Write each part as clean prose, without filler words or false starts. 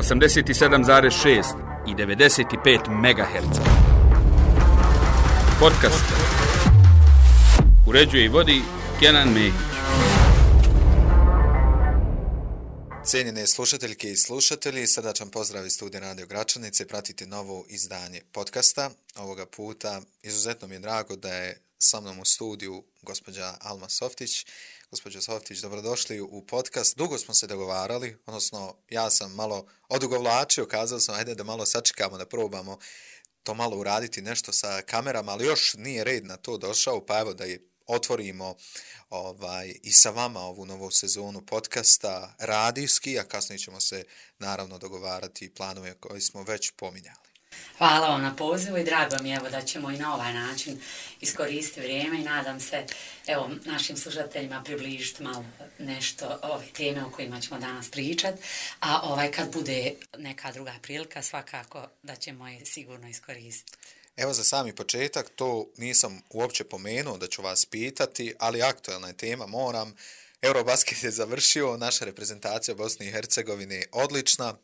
87,6 i 95 MHz. Podcast uređuje i vodi Kenan Mehić. Cijenjene slušateljke i slušatelji, srdačan pozdrav iz studija Radio Gračanice. Pratite novo izdanje podcasta. Ovoga puta izuzetno mi je drago da je sa mnom u studiju gospođa Alma Softić. Gospođo Softić, dobrodošli u podcast. Dugo smo se dogovarali, odnosno ja sam malo odugovlačio, kazao sam ajde da malo sačekamo, da probamo to malo uraditi nešto sa kamerama, ali još nije red na to došao, pa evo da je otvorimo i sa vama ovu novu sezonu podcasta radijski, a kasnije ćemo se naravno dogovarati planove koje smo već pominjali. Hvala vam na pozivu i drago mi je da ćemo i na ovaj način iskoristiti vrijeme i nadam se našim slušateljima približiti malo nešto ove teme o kojima ćemo danas pričati, a kad bude neka druga prilika svakako da ćemo je sigurno iskoristiti. Evo za sami početak, to nisam uopće pomenuo da ću vas pitati, ali aktualna je tema, moram. Eurobasket je završio, naša reprezentacija Bosne i Hercegovine odlična.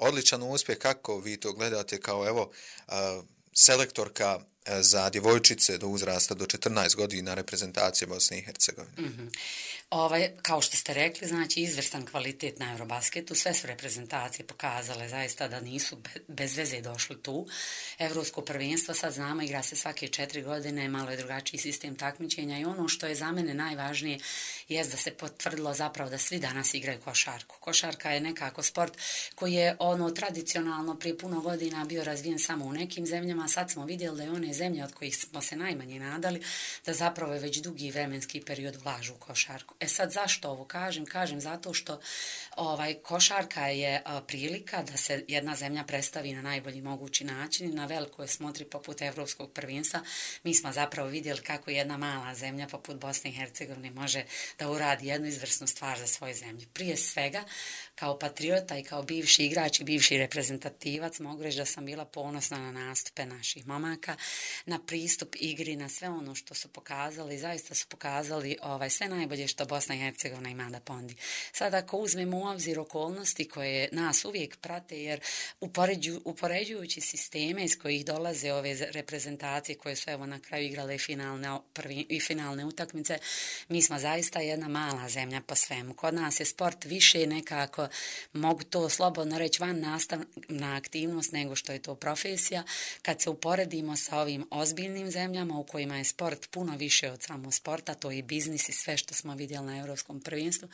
Odličan uspjeh, kako vi to gledate kao selektorka za djevojčice do uzrasta do 14 godina reprezentacije Bosne i Hercegovine? Kao što ste rekli, znači izvrstan kvalitet na Eurobasketu, sve su reprezentacije pokazale zaista da nisu bez veze došli tu. Evropsko prvenstvo, sad znamo, igra se svake 4 godine, malo je drugačiji sistem takmičenja i ono što je za mene najvažnije je da se potvrdilo zapravo da svi danas igraju košarku. Košarka je nekako sport koji je tradicionalno prije puno godina bio razvijen samo u nekim zemljama, sad smo vidjeli da je one zemlje od kojih smo se najmanje nadali, da zapravo je već dugi vremenski period ulažu u košarku. Sad zašto ovo kažem? Kažem zato što košarka je prilika da se jedna zemlja predstavi na najbolji mogući način i na velikoj smotri poput Evropskog prvenstva. Mi smo zapravo vidjeli kako jedna mala zemlja poput Bosne i Hercegovine može da uradi jednu izvrsnu stvar za svoju zemlju. Prije svega, kao patriota i kao bivši igrač i bivši reprezentativac mogu reći da sam bila ponosna na nastupe naših momaka, na pristup igri, na sve ono što su pokazali. Zaista su pokazali sve najbolje što Bosna i Hercegovina ima da ponudi. Sad ako uzmemo u obzir okolnosti koje nas uvijek prate, jer upoređujući sisteme iz kojih dolaze ove reprezentacije koje su na kraju igrale finalne utakmice, mi smo zaista jedna mala zemlja po svemu. Kod nas je sport više nekako, mogu to slobodno reći, van nastavna aktivnost nego što je to profesija. Kad se uporedimo sa ovim ozbiljnim zemljama u kojima je sport puno više od samog sporta, to je biznis i sve što smo vidjeli na Europskom prvenstvu,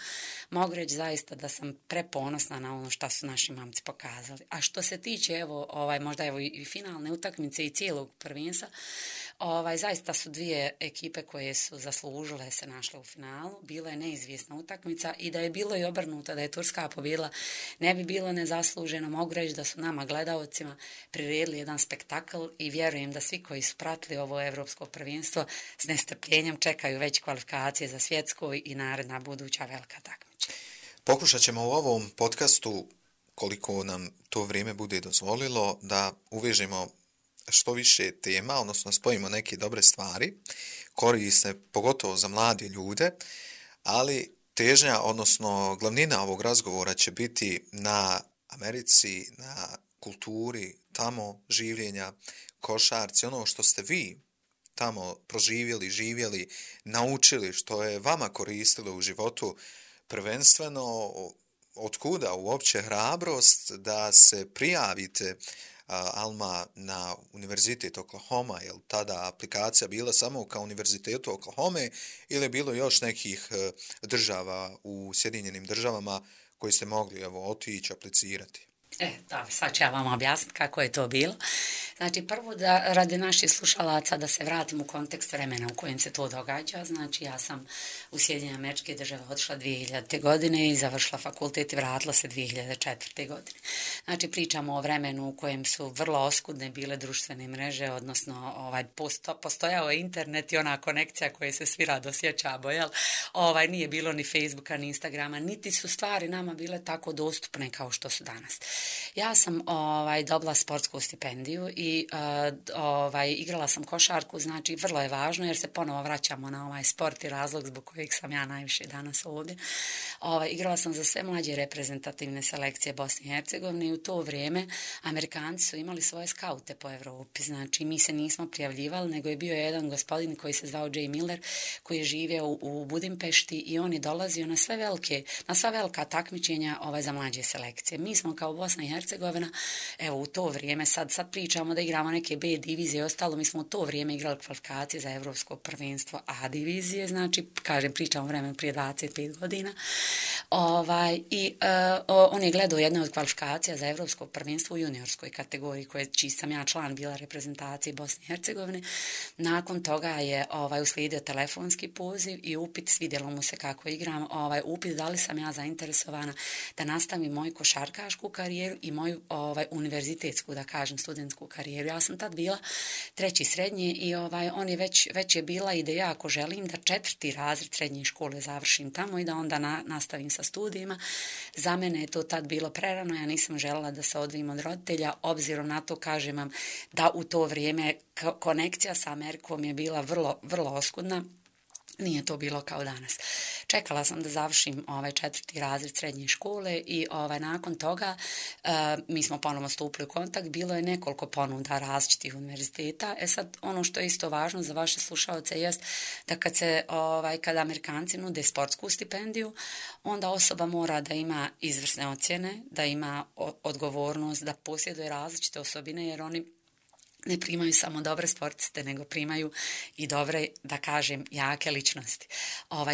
mogu reći zaista da sam preponosna na ono što su naši mamci pokazali. A što se tiče možda i finalne utakmice i cijelog prvenstva, zaista su dvije ekipe koje su zaslužile se našle u finalu. Bila je neizvjesna utakmica i da je bilo i obrnuto, da je Turska pobjedila, ne bi bilo nezasluženo. Mogu reći da su nama gledaocima priredili jedan spektakl i vjerujem da svi koji su pratili ovo Europsko prvenstvo s nestrpljenjem čekaju već kvalifikacije za svjetsko i naredna buduća velika takmičenja. Pokušat ćemo u ovom podcastu, koliko nam to vrijeme bude dozvolilo, da uvežemo što više tema, odnosno spojimo neke dobre stvari, korisne pogotovo za mlade ljude, ali težnja, odnosno glavnina ovog razgovora će biti na Americi, na kulturi, tamo življenja, košarci, ono što ste vi tamo proživjeli, živjeli, naučili, što je vama koristilo u životu, prvenstveno otkuda uopće hrabrost da se prijavite, Alma, na Univerzitet Oklahoma, je li tada aplikacija bila samo kao Univerzitetu Oklahoma ili je bilo još nekih država u Sjedinjenim državama koji ste mogli otići, aplicirati? Sad ću ja vam objasniti kako je to bilo. Znači, prvo da radi naših slušalaca da se vratim u kontekst vremena u kojem se to događa. Znači, ja sam u Sjedinjene Američke Države otišla 2000. godine i završila fakultet i vratila se 2004. godine. Znači, pričamo o vremenu u kojem su vrlo oskudne bile društvene mreže, odnosno postojao je internet i ona konekcija koja se svi rado sjećamo, jel? Nije bilo ni Facebooka, ni Instagrama, niti su stvari nama bile tako dostupne kao što su danas. Ja sam dobila sportsku stipendiju i igrala sam košarku, znači vrlo je važno jer se ponovo vraćamo na ovaj sport i razlog zbog kojeg sam ja najviše danas ovdje. Igrala sam za sve mlađe reprezentativne selekcije Bosne i Hercegovine i u to vrijeme Amerikanci su imali svoje skaute po Evropi, znači mi se nismo prijavljivali, nego je bio jedan gospodin koji se zvao Jay Miller, koji je živio u Budimpešti i on je dolazio na sva velika takmičenja za mlađe selekcije. Mi smo kao Bosna i Hercegovina, evo u to vrijeme, sad pričamo da igramo neke B divizije i ostalo, mi smo u to vrijeme igrali kvalifikacije za Evropsko prvenstvo A divizije, znači, pričamo vremenu prije 25 godina. On je gledao jednu od kvalifikacija za Evropsko prvenstvo u juniorskoj kategoriji, čiji sam ja član bila reprezentacije Bosne i Hercegovine. Nakon toga je uslijedio telefonski poziv i upit, svidjelo mu se kako igram, upit da li sam ja zainteresovana da nastavim moju košarkašku karijeru i moju univerzitetsku, da kažem, studentsku karijeru. Ja sam tad bila 3. srednje i on je već je bila ideja ako želim da 4. razred srednje škole završim tamo i da onda nastavim sa studijima. Za mene je to tad bilo prerano, ja nisam željela da se odvojim od roditelja, obzirom na to, kažem vam, da u to vrijeme konekcija sa Amerikom je bila vrlo, vrlo oskudna. Nije to bilo kao danas. Čekala sam da završim 4. razred srednje škole i nakon toga mi smo ponovno stupili u kontakt. Bilo je nekoliko ponuda različitih univerziteta. Sad, ono što je isto važno za vaše slušalce jest da kada Amerikanci nude sportsku stipendiju, onda osoba mora da ima izvrsne ocjene, da ima odgovornost, da posjeduje različite osobine, jer oni ne primaju samo dobre sportiste, nego primaju i dobre, da kažem, jake ličnosti,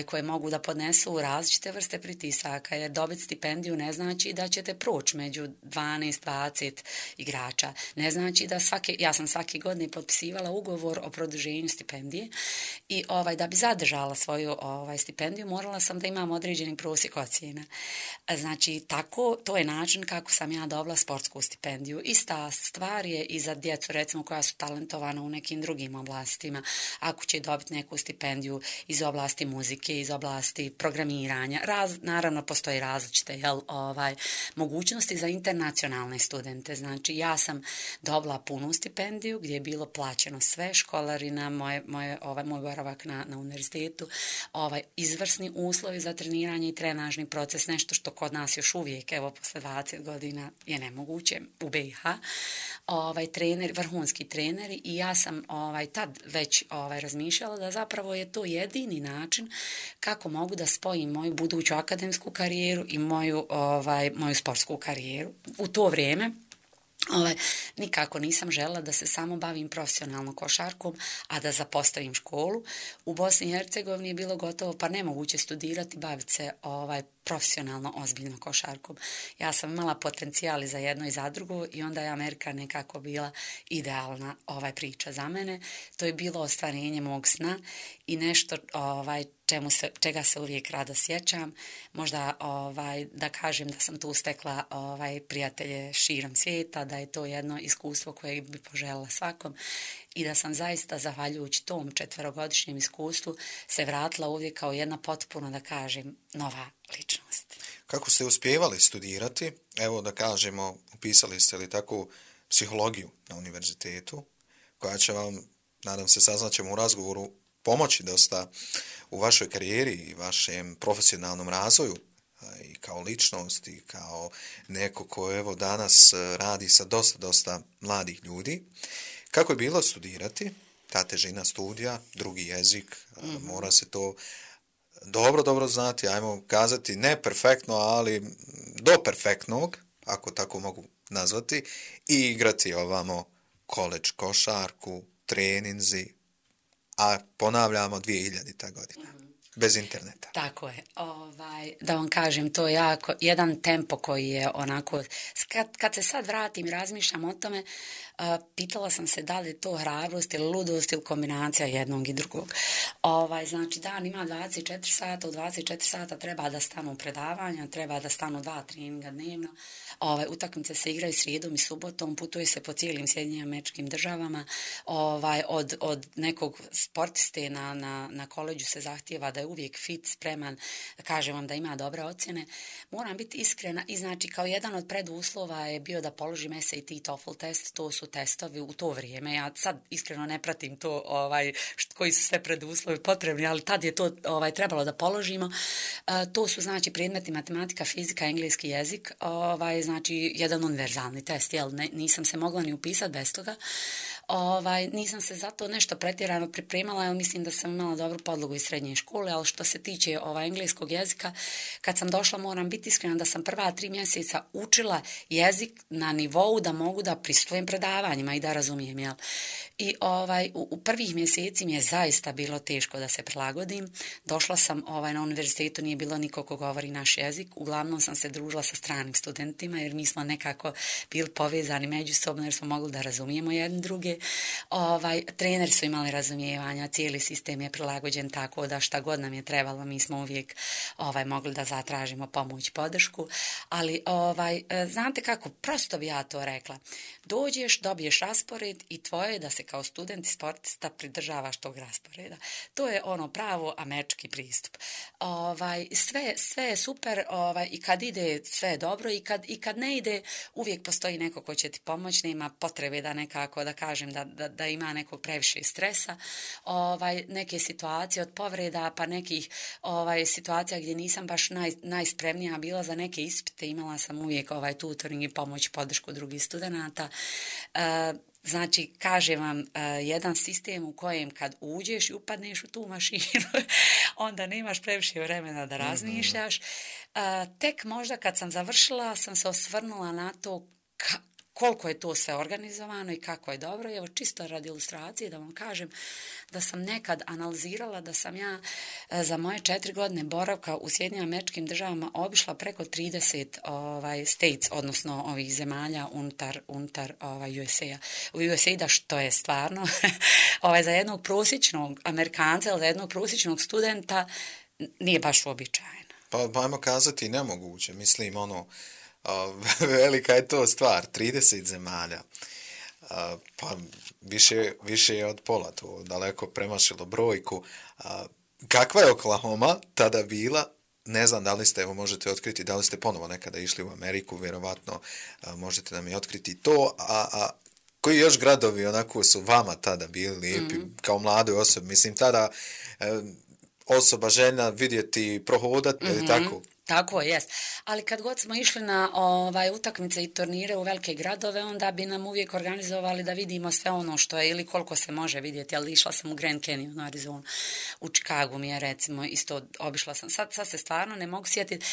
koje mogu da podnesu različite vrste pritisaka, jer dobiti stipendiju ne znači da ćete proći među 12-20 igrača. Ne znači da ja sam svake godine potpisivala ugovor o produženju stipendije i da bi zadržala svoju stipendiju morala sam da imam određeni prosjek ocjena. Znači, to je način kako sam ja dobila sportsku stipendiju. Ista stvar je i za djecu, recimo, koja su talentovana u nekim drugim oblastima. Ako će dobiti neku stipendiju iz oblasti muzike, iz oblasti programiranja, naravno postoji različite mogućnosti za internacionalne studente. Znači, ja sam dobila punu stipendiju gdje je bilo plaćeno sve, školarina, moj boravak na univerzitetu, izvrsni uslovi za treniranje i trenažni proces, nešto što kod nas još uvijek, evo, posle 20 godina je nemoguće u BiH. Vrhunski treneri i ja sam tad već razmišljala da zapravo je to jedini način kako mogu da spojim moju buduću akademsku karijeru i moju sportsku karijeru. U to vrijeme nikako nisam željela da se samo bavim profesionalno košarkom, a da zapostavim školu. U Bosni i Hercegovini je bilo gotovo pa nemoguće studirati, baviti se profesionalno, ozbiljno košarkom. Ja sam imala potencijal i za jedno i za drugo i onda je Amerika nekako bila idealna priča za mene. To je bilo ostvarenje mog sna i nešto čega se uvijek rado sjećam. Možda da kažem da sam tu stekla prijatelje širom svijeta, da je to jedno iskustvo koje bi poželjela svakom i da sam zaista, zahvaljujući tom 4-godišnjem iskustvu, se vratila uvijek kao jedna potpuno, da kažem, nova ličnost. Kako ste uspijevali studirati? Evo da kažemo, upisali ste li tako psihologiju na univerzitetu, koja će vam, nadam se, saznaćemo u razgovoru, pomoći dosta u vašoj karijeri i vašem profesionalnom razvoju i kao ličnost i kao neko ko evo danas radi sa dosta mladih ljudi. Kako je bilo studirati? Ta težina studija, drugi jezik, mora se to dobro znati, ajmo kazati ne perfektno, ali do perfektnog, ako tako mogu nazvati, i igrati ovamo koleđ košarku, treninzi, a ponavljamo 2000. godina. Bez interneta. Tako je. Da vam kažem, to je jako jedan tempo koji je onako... Kad se sad vratim i razmišljam o tome, pitala sam se da li je to hrabrost ili ludost ili kombinacija jednog i drugog. Znači, dan ima 24 sata, u 24 sata treba da stanu predavanja, treba da stanu 2 treninga dnevno. Utakmice se igraju srijedom i subotom, putuje se po cijelim Sjedinjenim Američkim Državama. Od nekog sportiste na koleđu se zahtijeva da je uvijek fit, spreman, kažem vam da ima dobre ocjene. Moram biti iskrena i znači kao jedan od preduslova je bio da položim SAT i TOEFL test, to su testovi u to vrijeme. Ja sad iskreno ne pratim to koji su sve preduslovi potrebni, ali tad je to trebalo da položimo. To su znači predmeti matematika, fizika, engleski jezik, znači jedan univerzalni test, jel? Nisam se mogla ni upisati bez toga. Nisam se zato nešto pretjerano pripremala, jer mislim da sam imala dobru podlogu iz srednje škole, ali što se tiče engleskog jezika, kad sam došla, moram biti iskrena da sam prva 3 mjeseca učila jezik na nivou da mogu da prisustujem predavanjima i da razumijem, jel? I u prvih mjeseci mi je zaista bilo teško da se prilagodim. Došla sam na univerzitetu, nije bilo niko ko govori naš jezik. Uglavnom sam se družila sa stranim studentima jer mi smo nekako bili povezani međusobno jer smo mogli da razumijemo jedni druge. Treneri su imali razumijevanja, cijeli sistem je prilagođen tako da šta god nam je trebalo, mi smo uvijek mogli da zatražimo pomoć, podršku. Ali znate kako, prosto bi ja to rekla. Dođeš, dobiješ raspored i tvoje je da se kao student i sportista pridržavaš tog rasporeda. To je pravo američki pristup. Sve je super i kad ide sve je dobro i kad ne ide uvijek postoji neko ko će ti pomoći, nema potrebe da nekako da kažem da ima nekog previše stresa. Neke situacije od povreda pa nekih situacija gdje nisam baš najspremnija bila za neke ispite, imala sam uvijek tutoring i pomoć, podršku drugih studenata. Znači, kažem vam, jedan sistem u kojem kad uđeš i upadneš u tu mašinu, onda nemaš previše vremena da razmišljaš. Tek možda kad sam završila, sam se osvrnula na to koliko je to sve organizovano i kako je dobro. Evo, čisto radi ilustracije da vam kažem da sam nekad analizirala da sam ja za moje 4 godine boravka u Sjedinjenim Američkim Državama obišla preko 30 states, odnosno ovih zemalja unutar USA-a, što je stvarno za jednog prosječnog Amerikanca ili za jednog prosječnog studenta nije baš uobičajeno. Pa ajmo kazati nemoguće, mislim velika je to stvar, 30 zemalja, pa više je od pola, to daleko premašilo brojku. Kakva je Oklahoma tada bila? Ne znam da li ste, evo možete otkriti, da li ste ponovo nekada išli u Ameriku, vjerovatno možete nam i otkriti to, a koji još gradovi onako su vama tada bili lijepi, kao mladoj osobi, mislim tada osoba željna vidjeti, prohodati, ili tako? Tako jest. Ali kad god smo išli na utakmice i turnire u velike gradove, onda bi nam uvijek organizovali da vidimo sve ono što je ili koliko se može vidjeti. Ali išla sam u Grand Canyon u Arizonu, u Chicagu mi je recimo isto obišla sam. Sad se stvarno ne mogu sjetiti.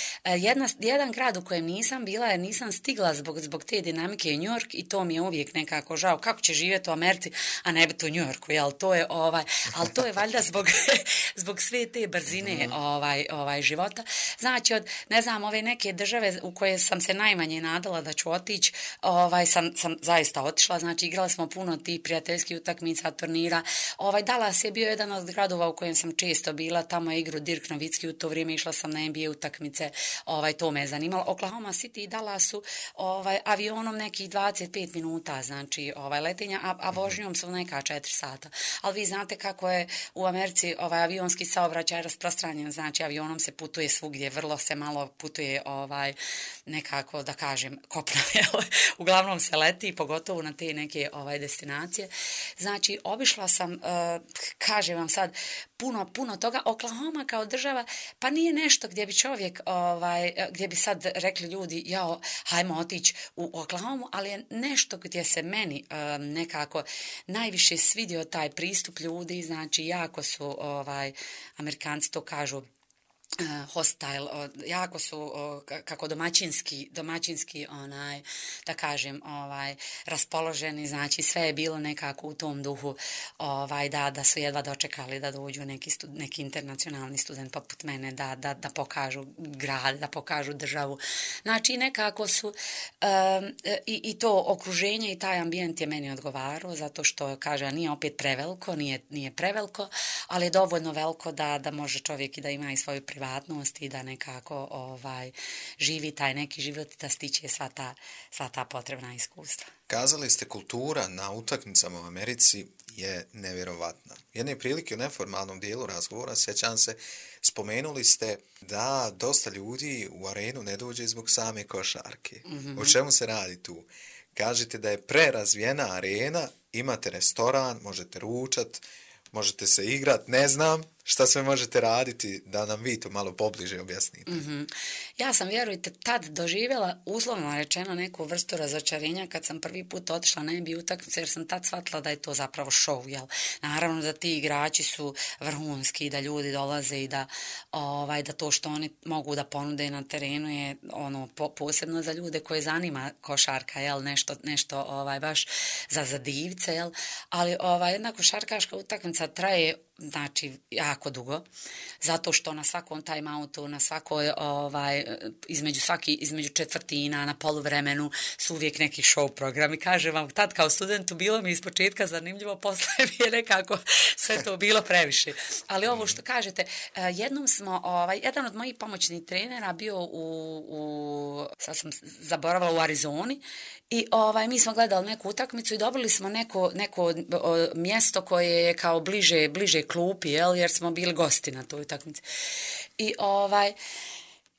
Jedan grad u kojem nisam bila jer nisam stigla zbog te dinamike u New York i to mi je uvijek nekako žao. Kako će živjeti u Americi, a ne biti u New Yorku, jel? Ali to je valjda zbog sve te brzine života. Znači, ne znam, ove neke države u koje sam se najmanje nadala da ću otići, sam zaista otišla, znači igrali smo puno tih prijateljskih utakmica, turnira. Dallas je bio jedan od gradova u kojem sam često bila, tamo je igrao Dirk Novicki, u to vrijeme išla sam na NBA utakmice, to me je zanimalo. Oklahoma City i Dallasu avionom nekih 25 minuta, znači letenja, a vožnjom su neka 4 sata. Ali vi znate kako je u Americi avionski saobraćaj rasprostranjen, znači avionom se putuje svugdje, vrlo se malo putuje nekako da kažem kopno, uglavnom se leti, pogotovo na te neke destinacije. Znači, obišla sam, kažem vam sad, puno toga. Oklahoma kao država, pa nije nešto gdje bi čovjek, gdje bi sad rekli ljudi, jao, hajmo otići u Oklahomu, ali je nešto gdje se meni nekako najviše svidio taj pristup ljudi, znači jako su, Amerikanci to kažu, hostile, jako su kako domaćinski da kažem raspoloženi, znači sve je bilo nekako u tom duhu da su jedva dočekali da dođu neki internacionalni student poput mene da pokažu grad, da pokažu državu, znači nekako su i to okruženje i taj ambijent je meni odgovarao, zato što kaže nije opet preveliko, nije preveliko, ali je dovoljno veliko da može čovjek i da ima i svoju privatnost i da nekako živi taj neki život, da stiče sva ta potrebna iskustva. Kazali ste kultura na utakmicama u Americi je nevjerovatna. Jedne prilike u neformalnom dijelu razgovora, sjećam se, spomenuli ste da dosta ljudi u arenu ne dođe zbog same košarke. O čemu se radi tu? Kažete da je prerazvijena arena, imate restoran, možete ručat, možete se igrat, ne znam šta sve možete raditi, da nam vi to malo pobliže objasnite. Ja sam, vjerujte, tad doživjela, uslovno rečeno, neku vrstu razočarenja kad sam prvi put otišla na NBA utakmicu, jer sam tad shvatila da je to zapravo show, jel? Naravno da ti igrači su vrhunski, da ljudi dolaze i da to što oni mogu da ponude na terenu je posebno za ljude koje zanima košarka, jel? Nešto baš za divce, jel? Ali jedna košarkaška utakmica traje jako dugo, zato što na svakom time-outu, na svakoj, između četvrtina, na poluvremenu su uvijek neki show programi. Kažem vam, tad kao studentu bilo mi ispočetka zanimljivo, posle mi je nekako sve to bilo previše. Ali ovo što kažete, jednom smo, jedan od mojih pomoćnih trenera bio sad sam zaboravila, u Arizoni i mi smo gledali neku utakmicu i dobili smo neko mjesto koje je kao bliže klupi, jer smo bili gosti na toj utakmici.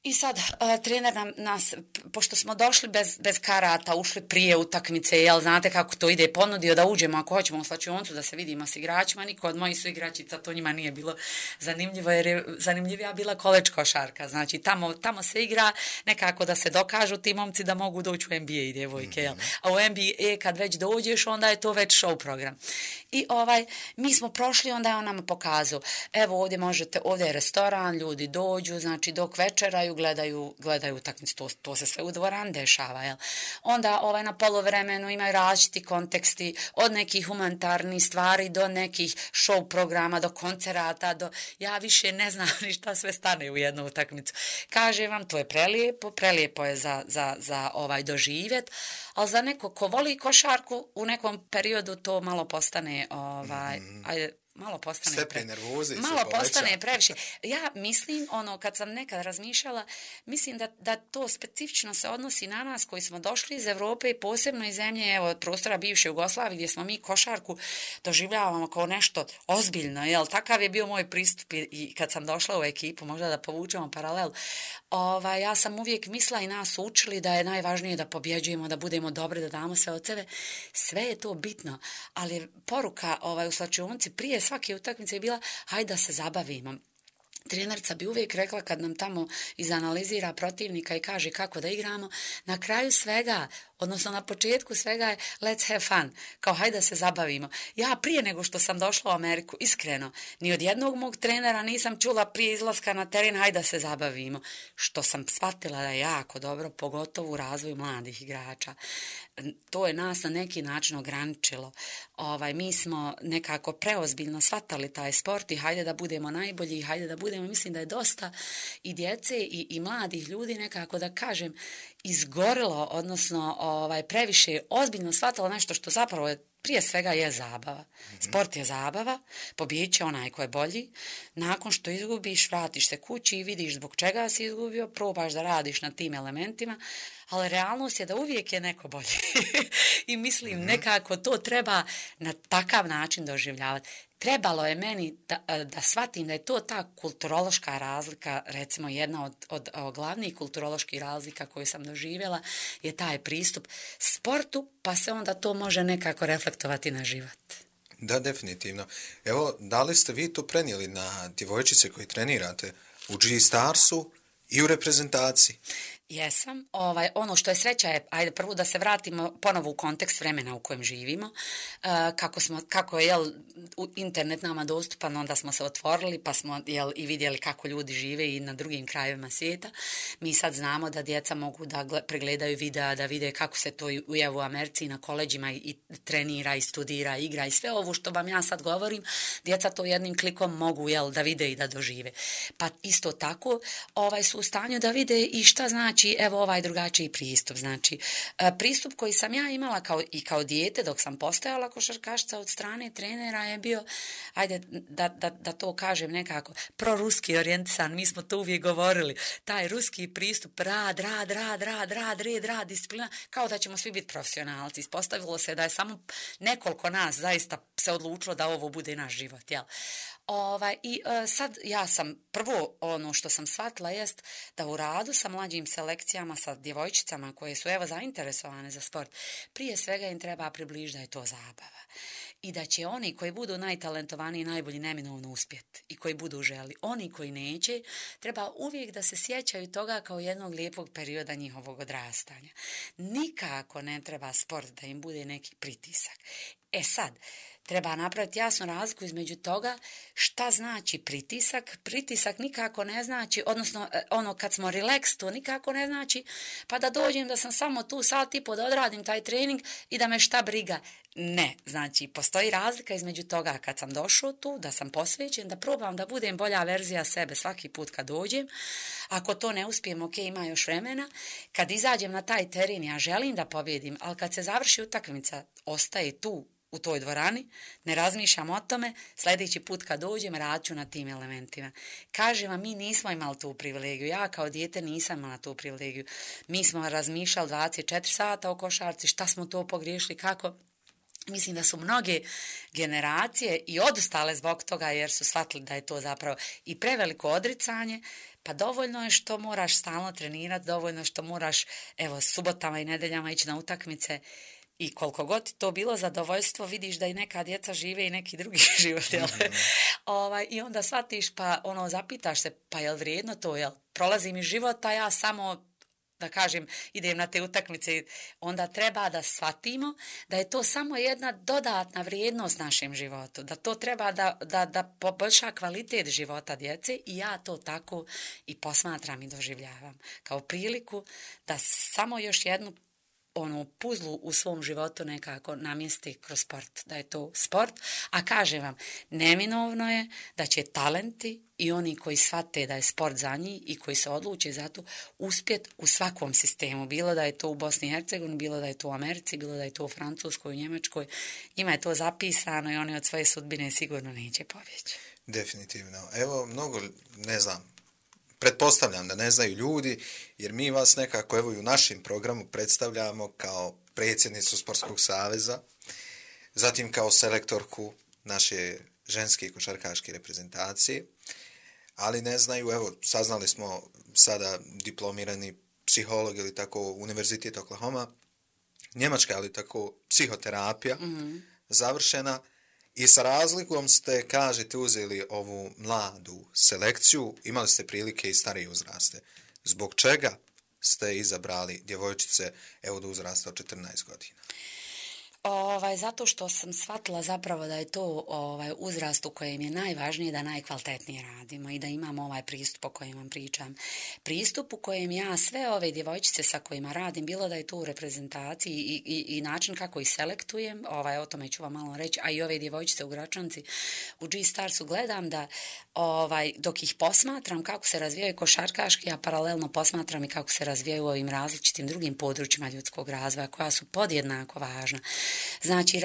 I sad trener nas, pošto smo došli bez karata, ušli prije utakmice, znate kako to ide, ponudio da uđemo ako hoćemo u slačionicu da se vidimo s igračima, niko od mojih su igračica, to njima nije bilo zanimljivo, jer je zanimljivija bila koleđ košarka, znači tamo se igra nekako da se dokažu ti momci da mogu doći u NBA i djevojke, a u NBA kad već dođeš, onda je to već show program. I mi smo prošli, onda je on nama pokazao, evo ovdje je restoran, ljudi dođu, znači dok večeraju, gledaju utakmicu, to se sve u dvorani dešava, jel? Onda na poluvremenu imaju različiti konteksti, od nekih humanitarnih stvari do nekih show programa, do koncerata, ja više ne znam ni šta sve stane u jednu utakmicu. Kažem vam, to je prelijepo je za doživjet, ali za neko ko voli košarku u nekom periodu to malo postane malo postane previše. Ja mislim, kad sam nekad razmišljala, mislim da to specifično se odnosi na nas koji smo došli iz Europe i posebno iz zemlje, prostora bivše Jugoslavije, gdje smo mi košarku doživljavamo kao nešto ozbiljno, jel? Takav je bio moj pristup i kad sam došla u ekipu, možda da povučemo paralel. Ja sam uvijek mislila i nas učili da je najvažnije da pobjeđujemo, da budemo dobri, da damo sve od sebe. Sve je to bitno, ali poruka u slačionici prije svake utakmice je bila hajde da se zabavimo. Trenerica bi uvijek rekla kad nam tamo izanalizira protivnika i kaže kako da igramo, na kraju svega, odnosno na početku svega je let's have fun, kao hajde da se zabavimo. Ja prije nego što sam došla u Ameriku, iskreno, ni od jednog mog trenera nisam čula prije izlaska na teren hajde da se zabavimo, što sam shvatila da je jako dobro, pogotovo u razvoju mladih igrača. To je nas na neki način ograničilo. Mi smo nekako preozbiljno shvatali taj sport i hajde da budemo najbolji, hajde da budemo, mislim da je dosta i djece i mladih ljudi nekako da kažem izgorilo, odnosno previše ozbiljno shvatilo nešto što zapravo je prije svega je zabava. Sport je zabava, pobjedit će onaj ko je bolji. Nakon što izgubiš, vratiš se kući i vidiš zbog čega si izgubio, probaš da radiš na tim elementima, ali realnost je da uvijek je neko bolji. I mislim, nekako to treba na takav način doživljavati. Trebalo je meni da shvatim da je to ta kulturološka razlika, recimo jedna od glavnih kulturoloških razlika koju sam doživjela je taj pristup sportu, pa se onda to može nekako reflektovati na život. Da, definitivno. Evo, da li ste vi to prenijeli na djevojčice koje trenirate u G-Starsu i u reprezentaciji? Jesam. Ono što je sreća je, ajde prvo da se vratimo ponovo u kontekst vremena u kojem živimo. Kako je internet nama dostupan, onda smo se otvorili pa smo i vidjeli kako ljudi žive i na drugim krajevima svijeta. Mi sad znamo da djeca mogu da pregledaju videa, da vide kako se to u Americi i na koleđima i trenira i studira, igra i sve ovo što vam ja sad govorim, djeca to jednim klikom mogu da vide i da dožive. Pa isto tako su u stanju da vide i šta znači znači, evo ovaj drugačiji pristup. Znači, pristup koji sam ja imala kao dijete dok sam postajala košarkašica od strane trenera je bio, ajde da to kažem nekako, proruski orijentisan, mi smo to uvijek govorili, taj ruski pristup, rad, disciplina, kao da ćemo svi biti profesionalci. Ispostavilo se da je samo nekoliko nas zaista se odlučilo da ovo bude naš život, jel? Sad ja sam, prvo ono što sam shvatila jest da u radu sa mlađim selekcijama, sa djevojčicama koje su evo zainteresovane za sport, prije svega im treba približiti da je to zabava. I da će oni koji budu najtalentovaniji i najbolji neminovno uspjeti i koji budu želi. Oni koji neće, treba uvijek da se sjećaju toga kao jednog lijepog perioda njihovog odrastanja. Nikako ne treba sport da im bude neki pritisak. Sad, treba napraviti jasnu razliku između toga šta znači pritisak. Pritisak nikako ne znači, odnosno ono kad smo relax, to nikako ne znači pa da dođem da sam samo tu sat i po da odradim taj trening i da me šta briga. Ne, znači postoji razlika između toga kad sam došao tu, da sam posvećen, da probam da budem bolja verzija sebe svaki put kad dođem. Ako to ne uspijem, ok, ima još vremena. Kad izađem na taj teren, ja želim da pobjedim, ali kad se završi utakmica, ostaje tu u toj dvorani, ne razmišljam o tome, sljedeći put kad dođem radit ću na tim elementima. Kažem vam, mi nismo imali tu privilegiju, ja kao dijete nisam imala tu privilegiju. Mi smo razmišljali 24 sata o košarci, šta smo to pogriješili, kako. Mislim da su mnoge generacije i odustale zbog toga jer su shvatili da je to zapravo i preveliko odricanje, pa dovoljno je što moraš stalno trenirati, dovoljno što moraš evo subotama i nedeljama ići na utakmice. I koliko god ti to bilo zadovoljstvo, vidiš da i neka djeca žive i neki drugi život. I onda shvatiš pa zapitaš se pa je li vrijedno to, jel prolazi mi život, a ja samo da kažem idem na te utakmice. Onda treba da shvatimo da je to samo jedna dodatna vrijednost našem životu, da to treba da poboljša kvalitet života djece i ja to tako i posmatram i doživljavam kao priliku da samo još jednu puzlu u svom životu nekako namjesti kroz sport, da je to sport, a kažem vam, neminovno je da će talenti i oni koji shvate da je sport za njih i koji se odluče za to uspjet u svakom sistemu, bilo da je to u Bosni i Hercegovini, bilo da je to u Americi, bilo da je to u Francuskoj, u Njemačkoj, njima je to zapisano i oni od svoje sudbine sigurno neće pobjeći. Definitivno. Evo, mnogo, ne znam, pretpostavljam da ne znaju ljudi, jer mi vas nekako evo i u našem programu predstavljamo kao predsjednicu Sportskog saveza, zatim kao selektorku naše ženske košarkaške reprezentacije, ali ne znaju, evo, saznali smo sada diplomirani psiholog ili tako Univerzitet Oklahoma, Njemačka, ali tako psihoterapija završena. I sa razlikom ste, kažete, uzeli ovu mladu selekciju, imali ste prilike i starije uzraste. Zbog čega ste izabrali djevojčice evo do uzrasta od 14 godina? Zato što sam shvatila zapravo da je to uzrast u kojem je najvažnije da najkvalitetnije radimo i da imamo ovaj pristup o kojem vam pričam. Pristup u kojem ja sve ove djevojčice sa kojima radim, bilo da je to u reprezentaciji i način kako ih selektujem, o tome ću vam malo reći, a i ove djevojčice u Gračanci, u G-Starsu gledam da dok ih posmatram kako se razvijaju košarkaški, a paralelno posmatram i kako se razvijaju u ovim različitim drugim područjima ljudskog razvoja koja su podjednako važna. Znači,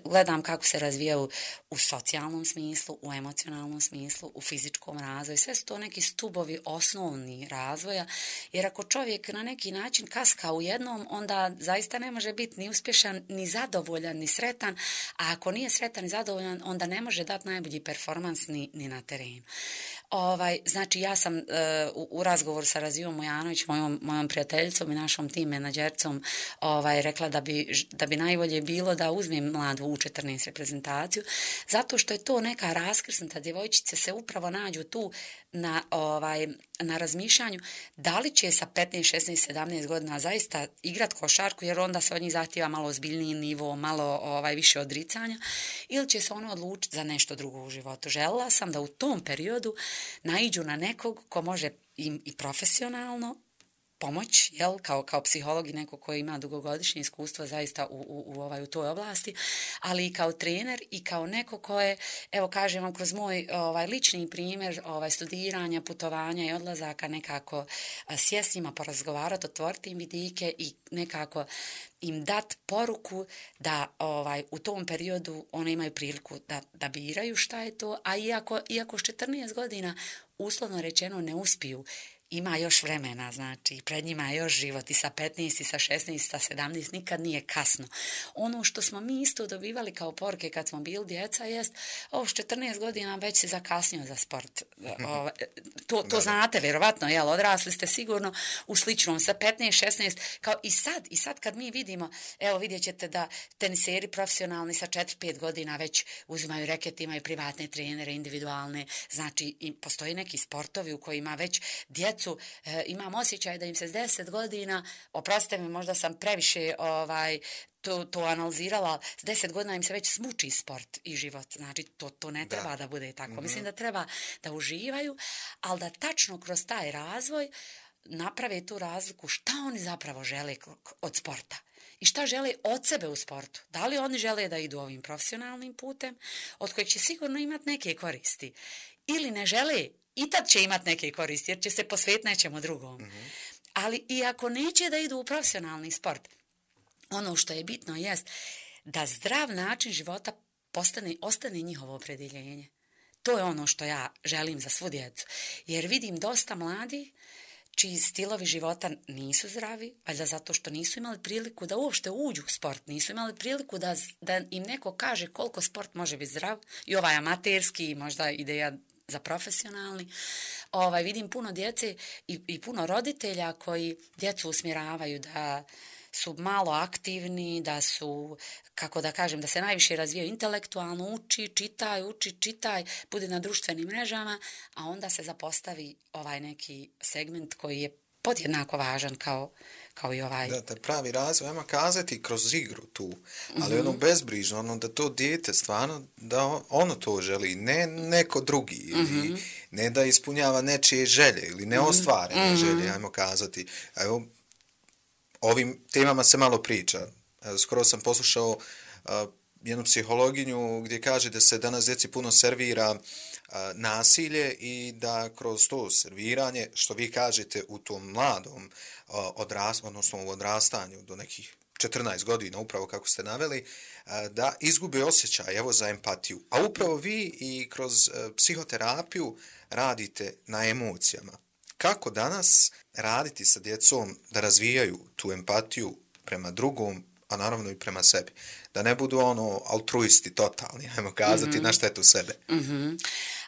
gledam kako se razvijaju u socijalnom smislu, u emocionalnom smislu, u fizičkom razvoju. Sve su to neki stubovi osnovni razvoja, jer ako čovjek na neki način kaska u jednom, onda zaista ne može biti ni uspješan, ni zadovoljan, ni sretan, a ako nije sretan i zadovoljan, onda ne može dati najbolji performans ni na terenu. Znači, ja sam u razgovoru sa Razijom Mujanović, mojom prijateljicom i našom tim menadžercom, rekla da bi najbolje bilo da uzmem mladu U14 reprezentaciju, zato što je to neka raskrsnuta, djevojčice se upravo nađu tu na razmišljanju da li će sa 15, 16, 17 godina zaista igrat košarku, jer onda se od njih zahtjeva malo ozbiljniji nivo, malo više odricanja, ili će se ono odlučiti za nešto drugo u životu. Željela sam da u tom periodu naiđu na nekog ko može im i profesionalno pomoć, jel, kao psiholog i neko koji ima dugogodišnje iskustvo zaista u toj oblasti, ali i kao trener i kao neko ko je, evo kažem vam, kroz moj lični primjer studiranja, putovanja i odlazaka nekako sjest s njima, porazgovarati, otvoriti im vidike i nekako im dat poruku da u tom periodu one imaju priliku da biraju šta je to, a iako s 14 godina uslovno rečeno ne uspiju, ima još vremena, znači pred njima je još život i sa 15 i sa 16 i sa 17, nikad nije kasno. Ono što smo mi isto dobivali kao poruke kad smo bili djeca jest, s 14 godina već si zakasnio za sport. To znate, vjerovatno, jel, odrasli ste sigurno u sličnom, sa 15, 16, kao i sad kad mi vidimo, evo vidjet ćete da teniseri profesionalni sa 4-5 godina već uzimaju reket, imaju privatne trenere, individualne, znači postoji neki sportovi u kojima već djecu, imam osjećaj da im se s 10 godina, oprostite mi, možda sam previše to analizirala, s 10 godina im se već smuči sport i život. Znači, to ne treba da bude tako. Mislim da treba da uživaju, ali da tačno kroz taj razvoj naprave tu razliku šta oni zapravo žele od sporta. I šta žele od sebe u sportu? Da li oni žele da idu ovim profesionalnim putem, od kojeg će sigurno imati neke koristi? Ili ne žele, i tad će imati neke koristi, jer će se posvetiti nečemu drugom. Ali i ako neće da idu u profesionalni sport, ono što je bitno jest da zdrav način života ostane njihovo opredjeljenje. To je ono što ja želim za svu djecu. Jer vidim dosta mladih čiji stilovi života nisu zdravi, valjda zato što nisu imali priliku da uopšte uđu u sport, nisu imali priliku da im neko kaže koliko sport može biti zdrav, i ovaj amaterski, i možda ideja za profesionalni. Vidim puno djece i puno roditelja koji djecu usmjeravaju da su malo aktivni, da su, kako da kažem, da se najviše razvijaju intelektualno, uči, čitaj, bude na društvenim mrežama, a onda se zapostavi ovaj neki segment koji je podjednako važan kao i ovaj. Da, taj pravi razvoj, ajmo kazati, kroz igru tu, ali ono bezbrižno, da to dijete stvarno, da ono to želi, ne neko drugi, ili ne da ispunjava nečije želje, ili neostvarene želje, ajmo kazati. Evo, ovim temama se malo priča. Evo, skoro sam poslušao jednu psihologinju gdje kaže da se danas djeci puno servira nasilje i da kroz to serviranje, što vi kažete u tom mladom odnosno u odrastanju do nekih 14 godina, upravo kako ste naveli, da izgube osjećaj, evo, za empatiju. A upravo vi i kroz psihoterapiju radite na emocijama. Kako danas raditi sa djecom da razvijaju tu empatiju prema drugom, a naravno i prema sebi? Da ne budu altruisti totalni, ajmo kazati, na štetu sebe.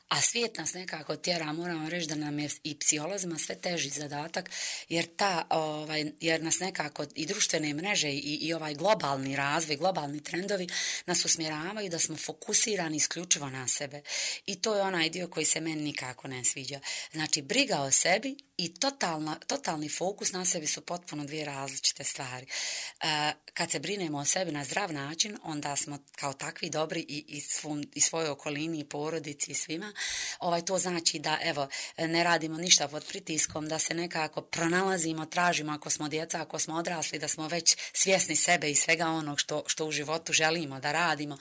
A svijet nas nekako tjera, moramo reći da nam je i psiholozima sve teži zadatak, jer nas nekako i društvene mreže i ovaj globalni razvoj, globalni trendovi nas usmjeravaju da smo fokusirani isključivo na sebe. I to je onaj dio koji se meni nikako ne sviđa. Znači, briga o sebi i totalni fokus na sebi su potpuno dvije različite stvari. Kad se brinemo o sebi na zdrav način, onda smo kao takvi dobri i svojoj okolini, i porodici, i svima. To znači da, evo, ne radimo ništa pod pritiskom, da se nekako pronalazimo, tražimo, ako smo djeca, ako smo odrasli, da smo već svjesni sebe i svega onog što u životu želimo da radimo.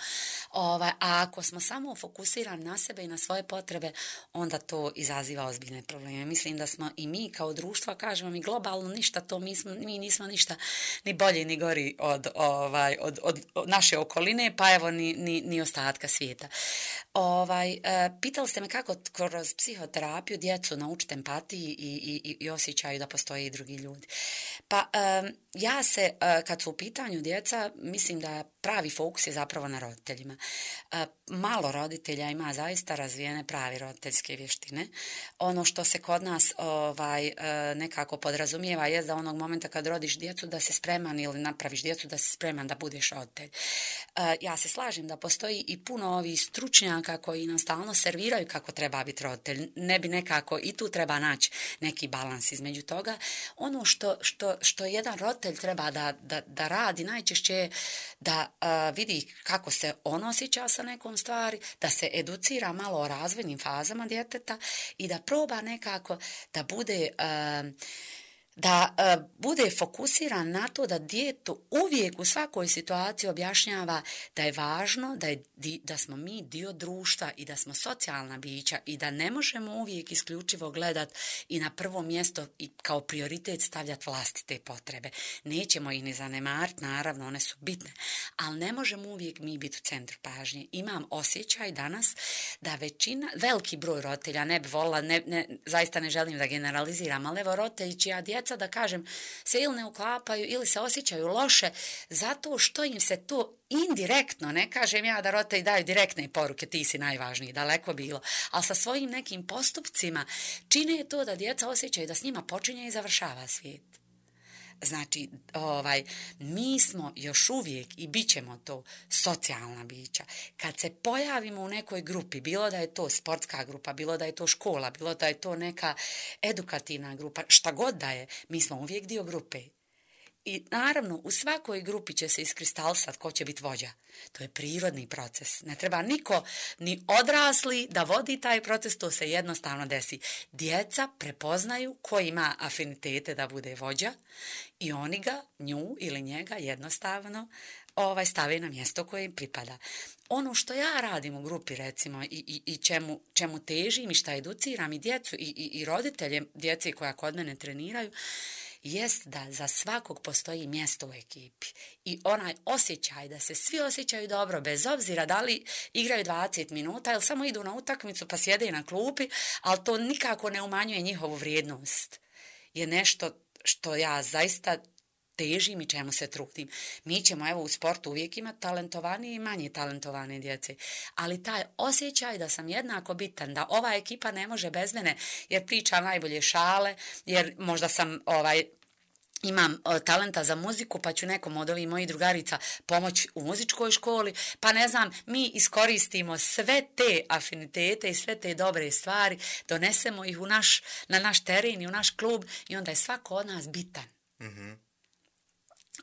A ako smo samo fokusirani na sebe i na svoje potrebe, onda to izaziva ozbiljne probleme. Mislim da smo i mi kao društvo, kažemo mi globalno ništa, mi nismo ništa ni bolji ni gori od naše okoline, pa evo ni ostatka svijeta. Pitali ste me kako kroz psihoterapiju djecu naučiti empatiji i osjećaju da postoje i drugi ljudi. Pa ja se, kad su u pitanju djeca, mislim da pravi fokus je zapravo na roditeljima. Malo roditelja ima zaista razvijene pravi roditeljske vještine. Ono što se kod nas nekako podrazumijeva je da onog momenta kad rodiš djecu da se spreman, ili napraviš djecu da si spreman da budeš roditelj. Ja se slažem da postoji i puno ovih stručnjaka koji nam stalno serviraju kako treba biti roditelj. Ne bi nekako, i tu treba naći neki balans između toga. Ono što jedan roditelj treba da radi najčešće je da vidi kako se on osjeća sa nekom stvari, da se educira malo o razvojnim fazama djeteta i da proba nekako da bude da bude fokusiran na to da djetu uvijek u svakoj situaciji objašnjava da je važno da smo mi dio društva i da smo socijalna bića i da ne možemo uvijek isključivo gledat i na prvo mjesto i kao prioritet stavljati vlastite potrebe. Nećemo ih ni zanemariti, naravno, one su bitne, ali ne možemo uvijek mi biti u centru pažnje. Imam osjećaj danas da veliki broj roditelja, ne bi volila, zaista ne želim da generaliziram, ali evo roditelji čija djeca, da kažem, se ili ne uklapaju ili se osjećaju loše zato što im se to indirektno, ne kažem ja da roditelji daju direktne poruke, ti si najvažniji, daleko bilo, ali sa svojim nekim postupcima čine to da djeca osjećaju da s njima počinje i završava svijet. Znači, mi smo još uvijek i bit ćemo to socijalna bića. Kad se pojavimo u nekoj grupi, bilo da je to sportska grupa, bilo da je to škola, bilo da je to neka edukativna grupa, šta god da je, mi smo uvijek dio grupe. I naravno, u svakoj grupi će se iskristalisati ko će biti vođa. To je prirodni proces. Ne treba niko, ni odrasli, da vodi taj proces, to se jednostavno desi. Djeca prepoznaju ko ima afinitete da bude vođa i oni ga, nju ili njega jednostavno stave na mjesto koje im pripada. Ono što ja radim u grupi, recimo, i čemu težim i šta educiram i djecu i roditelje djece koja kod mene treniraju, jest da za svakog postoji mjesto u ekipi i onaj osjećaj da se svi osjećaju dobro bez obzira da li igraju 20 minuta ili samo idu na utakmicu pa sjede na klupi, ali to nikako ne umanjuje njihovu vrijednost. Je nešto što ja zaista težim i čemu se trudim. Mi ćemo u sportu uvijek imati talentovanije i manje talentovane djece, ali taj osjećaj da sam jednako bitan, da ova ekipa ne može bez mene jer pričam najbolje šale, jer možda sam imam talenta za muziku, pa ću nekom od ovih mojih drugarica pomoći u muzičkoj školi, pa ne znam, mi iskoristimo sve te afinitete i sve te dobre stvari, donesemo ih na naš teren i u naš klub i onda je svako od nas bitan. Mm-hmm.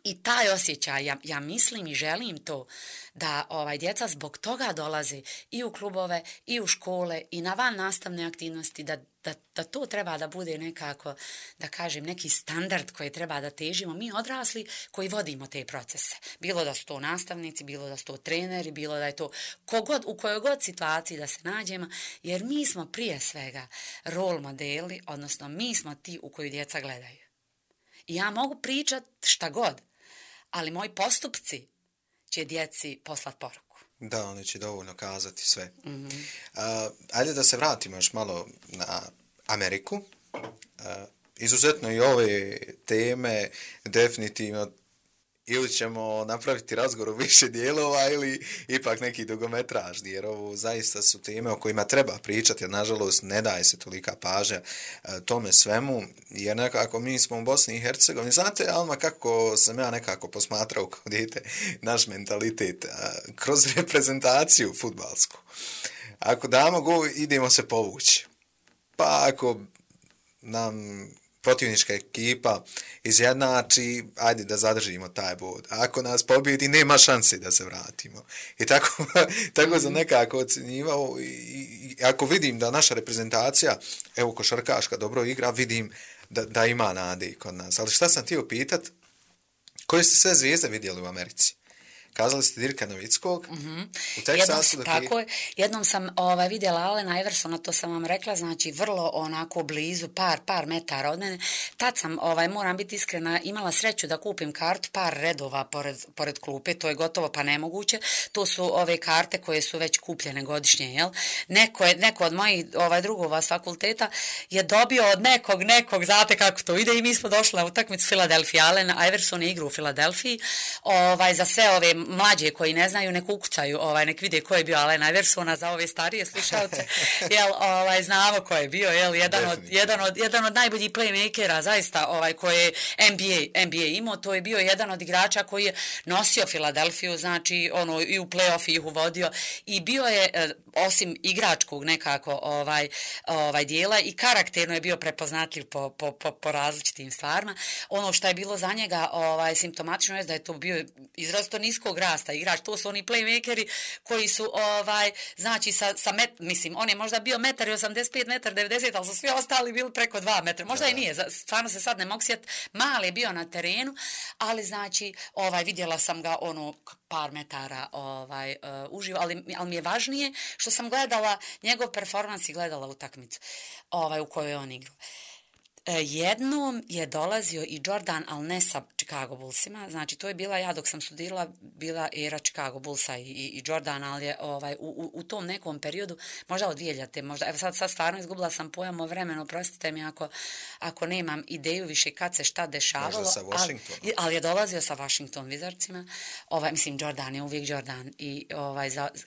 I taj osjećaj, ja mislim i želim to, da djeca zbog toga dolaze i u klubove, i u škole, i na van nastavne aktivnosti, da to treba da bude nekako, da kažem, neki standard koji treba da težimo mi odrasli koji vodimo te procese. Bilo da su to nastavnici, bilo da su to treneri, bilo da je to u kojoj god situaciji da se nađemo, jer mi smo prije svega role modeli, odnosno mi smo ti u koju djeca gledaju. I ja mogu pričati šta god, ali moji postupci će djeci poslati poruku. Da, oni će dovoljno kazati sve. Mm-hmm. Ajde da se vratimo još malo na Ameriku. Izuzetno i ove teme definitivno ili ćemo napraviti razgovor u više dijelova ili ipak neki dugometražni, jer ovo zaista su teme o kojima treba pričati, jer nažalost ne daje se tolika pažnja tome svemu, jer nekako mi smo u Bosni i Hercegovini. Znate, Alma, kako sam ja nekako posmatrao kao dijete naš mentalitet kroz reprezentaciju fudbalsku. Ako damo gol, idemo se povući. Pa ako nam protivnička ekipa izjednači, ajde da zadržimo taj bod. Ako nas pobjedi, nema šanse da se vratimo. I tako sam nekako ocjenjivao i ako vidim da naša reprezentacija, košarkaška dobro igra, vidim da ima nade kod nas. Ali šta sam htio pitat, koje ste sve zvijezde vidjeli u Americi? Kazali ste Dirka Novickog. Mm-hmm. U Teksasu. Tako je. Jednom sam vidjela Alena Iversona, to sam vam rekla, znači vrlo onako blizu, par metara od mene. Tad sam, moram biti iskrena, imala sreću da kupim kartu, par redova pored klupe, to je gotovo pa nemoguće. To su ove karte koje su već kupljene godišnje, jel? Neko od mojih drugova s fakulteta je dobio od nekog, znate kako to ide, i mi smo došli na utakmicu Filadelfija. Alen Iverson je igrao u Filadelfiji, za sve ove mlađe koji ne znaju, nek ukucaju, nek vide ko je bio Allen Iversona, za ove starije slušalce, znamo ko je bio, jedan od najboljih playmakera, zaista, koji je NBA imao, to je bio jedan od igrača koji je nosio Filadelfiju, znači, i u play-off ih uvodio, i bio je osim igračkog nekako dijela i karakterno je bio prepoznatljiv po različitim stvarima. Ono što je bilo za njega simptomatično je da je to bio izrazito niskog rasta igrač. To su oni playmakeri koji su znači mislim, on je možda bio 1,85 m, 1,90 m, ali su svi ostali bili preko 2 metra. Možda i nije, stvarno se sad ne mogu sjetiti. Mali je bio na terenu, ali znači vidjela sam ga par metara uživo, ali mi je važnije što sam gledala njegov performans i gledala utakmicu u kojoj je on igrao. Jednom je dolazio i Jordan, ali ne sa Chicago Bullsima, znači to je bila, ja dok sam studirala, bila era Chicago Bullsa i Jordan, ali je u tom nekom periodu, možda od 2000, možda, evo sad stvarno izgubila sam pojam o vremenu, prostite mi ako nemam ideju više kad se šta dešavalo. Možda sa Washingtonom. Ali je dolazio sa Washington Wizardsima, mislim Jordan je uvijek Jordan i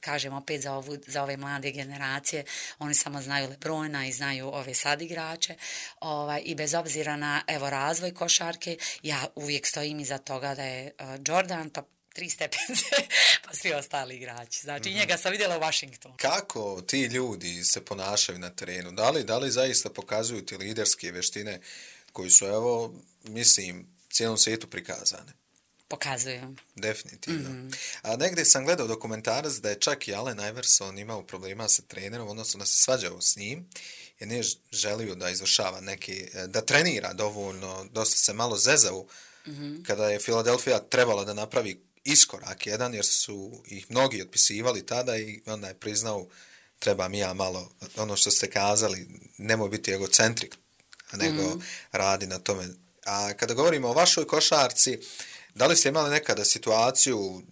kažem opet za ove mlade generacije, oni samo znaju LeBrona i znaju ove sad igrače, i bez obzira na razvoj košarke, ja uvijek stojim iza toga da je Jordan, pa 3 stepence, pa svi ostali igrači. Znači, njega sam vidjela u Washingtonu. Kako ti ljudi se ponašaju na terenu? Da li zaista pokazuju ti liderske veštine koji su, mislim, cijelom svijetu prikazane? Pokazuju. Definitivno. A negdje sam gledao dokumentarac da je čak i Allen Iverson imao problema sa trenerom, odnosno da se svađao s njim, jer nije želio da izvršava da trenira dovoljno, dosta se malo zezao kada je Philadelphia trebala da napravi iskorak jedan, jer su ih mnogi otpisivali tada i onda je priznao treba mi ja malo, ono što ste kazali, nemoj biti egocentrik, nego radi na tome. A kada govorimo o vašoj košarci, da li ste imali nekada situaciju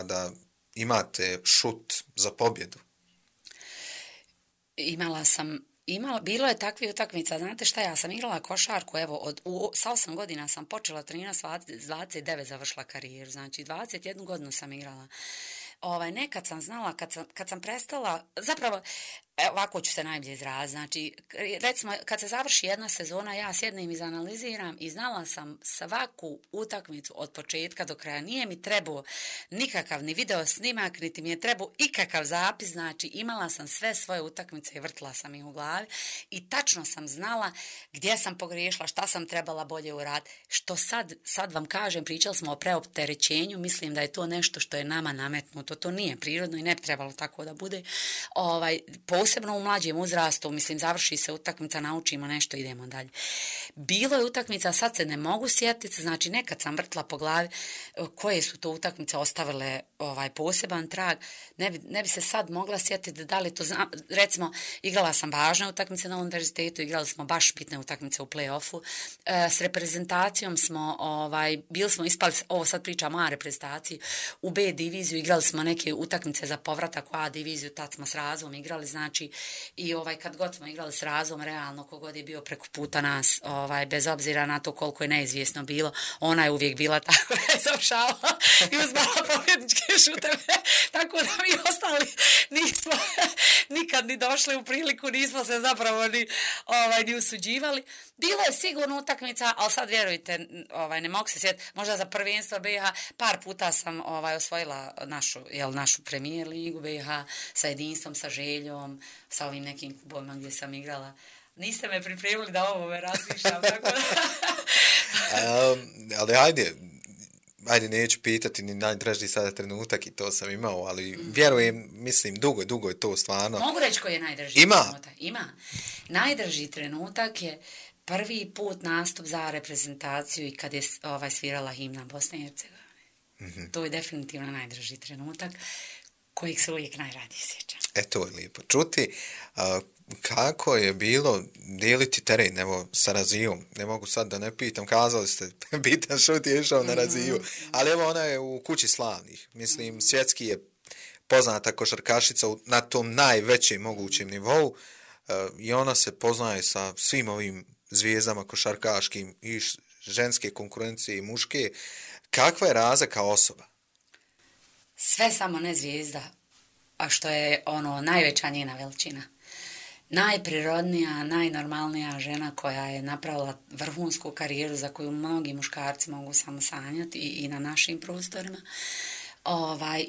da imate šut za pobjedu? Bilo je takvih utakmica, znate šta, ja sam igrala košarku, sa 8 godina sam počela trenirati, s 29 završila karijeru, znači 21 godinu sam igrala. Nekad sam znala, kad sam prestala, zapravo, ovako ću se najbolje izraziti, znači, recimo, kad se završi jedna sezona, ja sjednem i izanaliziram i znala sam svaku utakmicu od početka do kraja. Nije mi trebao nikakav ni video snimak, niti mi je trebao ikakav zapis, znači, imala sam sve svoje utakmice i vrtila sam ih u glavi i tačno sam znala gdje sam pogriješila, šta sam trebala bolje uraditi. Što sad vam kažem, pričali smo o preopterećenju, mislim da je to nešto što je nama nametnuto, to nije prirodno i ne bi trebalo tako da bude. Posebno u mlađem uzrastu, mislim, završi se utakmica, naučimo nešto, idemo dalje. Bilo je utakmica, sad se ne mogu sjetiti, znači nekad sam vrtla po glavi koje su to utakmice ostavile poseban trag, ne bi se sad mogla sjetiti da li to znam. Recimo, igrala sam važne utakmice na univerzitetu, igrali smo baš bitne utakmice u play-offu, s reprezentacijom smo, bili smo ispali, ovo sad pričam o A reprezentaciji, u B diviziju, igrali smo neke utakmice za povratak u A diviziju, tad smo s Razvom igrali, znači, i kad god smo igrali s Razvom, realno, kogod je bio preko puta nas, bez obzira na to koliko je neizvjesno bilo, ona je uvijek bila tako da je završavala i uzmala pobjedničke šuteve, tako da mi ostali nismo nikad ni došli u priliku, nismo se zapravo ni usuđivali. Bilo je sigurno utakmica, ali sad vjerujte, ne mogu se sjetiti, možda za prvenstvo BiH, par puta sam osvojila našu premijer ligu BiH sa Jedinstvom, sa Željom, sa ovim nekim klubovima gdje sam igrala. Niste me pripremili da ovo me razmišljam, tako da... Ali ajde, neću pitati ni najdraži sada trenutak i to sam imao, ali vjerujem, mislim, dugo je to stvarno. Mogu reći koji je najdraži trenutak? Ima. Najdraži trenutak je prvi put nastup za reprezentaciju i kad je svirala himna Bosne i Hercegovine. To je definitivno najdraži trenutak kojeg se uvijek najradije sjećam. To je lijepo čuti. Kako je bilo dijeliti teren, sa Razijom? Ne mogu sad da ne pitam, kazali ste, bitan šut je išao na Raziju, ali ona je u kući slavnih. Mislim, svjetski je poznata košarkašica na tom najvećem mogućem nivou i ona se poznaje sa svim ovim zvijezdama košarkaškim i ženske konkurencije i muške. Kakva je Raza kao osoba? Sve samo ne zvijezda, a što je najveća njena veličina. Najprirodnija, najnormalnija žena koja je napravila vrhunsku karijeru za koju mnogi muškarci mogu samo sanjati i na našim prostorima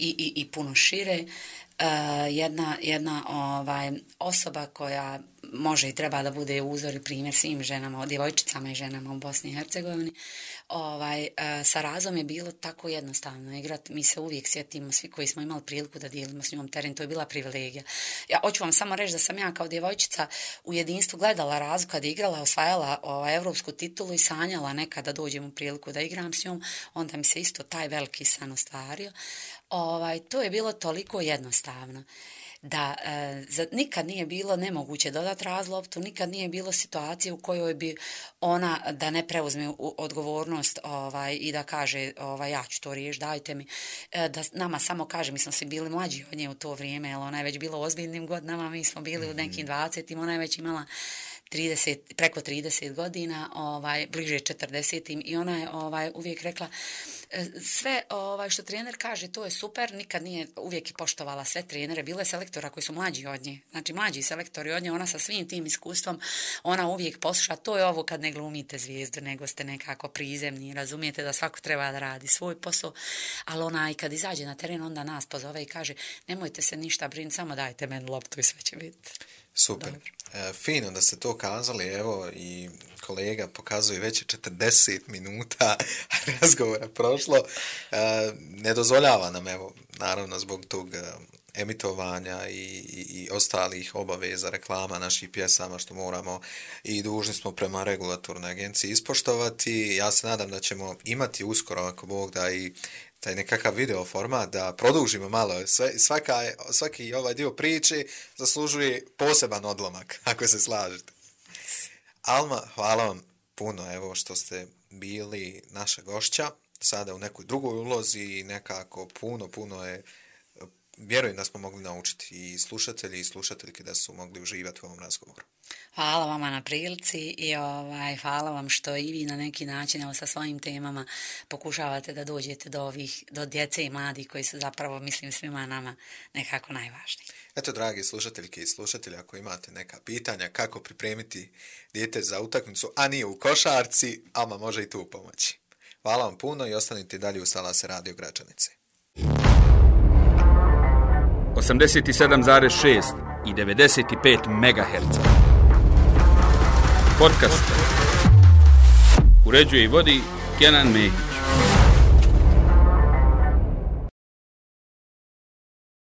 i puno šire. jedna osoba koja može i treba da bude uzor i primjer svim ženama, djevojčicama i ženama u Bosni i Hercegovini. Sa Razom je bilo tako jednostavno igrati. Mi se uvijek sjetimo, svi koji smo imali priliku da dijelimo s njom teren, to je bila privilegija. Ja hoću vam samo reći da sam ja kao djevojčica u jedinstvu gledala Razu kad je igrala, osvajala evropsku titulu i sanjala nekada dođem u priliku da igram s njom, onda mi se isto taj veliki san ostvario. To je bilo toliko jednostavno da nikad nije bilo nemoguće dodati Razu loptu, nikad nije bilo situacije u kojoj bi ona da ne preuzme odgovornost i da kaže ja ću to riješiti, dajte mi, da nama samo kaže, mi smo svi bili mlađi od nje u to vrijeme, jer ona je već bila u ozbiljnim godinama, mi smo bili u nekim 20-im, ona je već imala preko 30 godina, bliže 40 i ona je uvijek rekla sve što trener kaže to je super, nikad nije uvijek i poštovala sve trenere, bilo je selektora koji su mlađi od nje, znači mlađi selektori od nje, ona sa svim tim iskustvom, ona uvijek posluša, to je ovo kad ne glumite zvijezdu, nego ste nekako prizemni, razumijete da svako treba da radi svoj posao, ali ona i kad izađe na teren onda nas pozove i kaže nemojte se ništa brinuti, samo dajte meni loptu i sve će biti. Super. Fino da ste to kazali, evo i kolega pokazuje već 40 minuta razgovora prošlo. Ne dozvoljava nam, evo, naravno zbog tog emitovanja i ostalih obaveza, reklama naših pjesama što moramo i dužni smo prema regulatornoj agenciji ispoštovati. Ja se nadam da ćemo imati uskoro, ako Bog da, i taj nekakav video format, da produžimo malo. Svaki ovaj dio priče zaslužuje poseban odlomak, ako se slažete. Alma, hvala vam puno, evo, što ste bili naša gošća, sada u nekoj drugoj ulozi i nekako puno je, vjerujem da smo mogli naučiti i slušatelji i slušateljke da su mogli uživati u ovom razgovoru. Hvala vama na prilici i hvala vam što i vi na neki način sa svojim temama pokušavate da dođete do djece i mladih koji su zapravo, mislim, svima nama nekako najvažniji. Eto, dragi slušateljke i slušatelji, ako imate neka pitanja kako pripremiti dijete za utakmicu, a nije u košarci, Alma može i tu pomoći. Hvala vam puno i ostanite dalje u Salase Radio Gračanice. 87,6 i 95 MHz. Podcast. Uređuje i vodi Kenan Mehić.